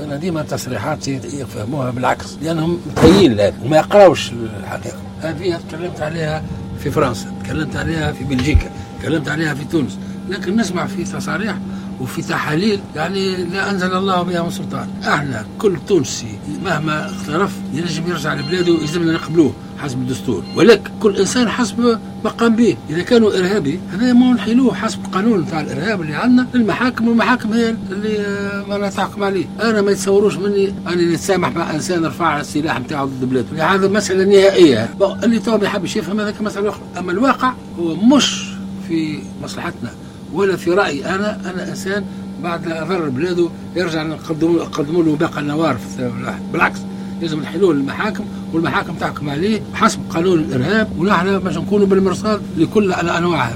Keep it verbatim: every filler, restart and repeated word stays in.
انا ديما تصريحاتي يفهموها بالعكس، لانهم متهيئين لهذا وما يقراوش الحقيقه. هذه تكلمت عليها في فرنسا، تكلمت عليها في بلجيكا، تكلمت عليها في تونس، لكن نسمع في تصاريح وفي تحاليل يعني لا انزل الله بها من سلطان. احنا كل تونسي مهما اقترف ينجم يرجع لبلاده، يلزمنا نقبلوه حسب الدستور، ولكن كل انسان حسب ما قام به. اذا كانوا ارهابي هذا ما نحيلوه حسب القانون نتاع الارهاب اللي عندنا للمحاكم، والمحاكم هي اللي ما تحكم عليه. انا ما يتصوروش مني اني نتسامح مع انسان رفع السلاح نتاعو ضد بلاده، هذا مسالة نهائيه. اللي تو ما يحبش يفهم هذاك مسالة اخرى، اما الواقع هو مش في مصلحتنا ولا في رايي. انا انا انسان بعد ضرر بلاده يرجع نقدموا له باقي النوار في بالعكس لازم نحلوه للمحاكم والمحاكم تحكم عليه حسب قانون الارهاب، ونحن باش نكونوا بالمرصاد لكل الانواع هذا.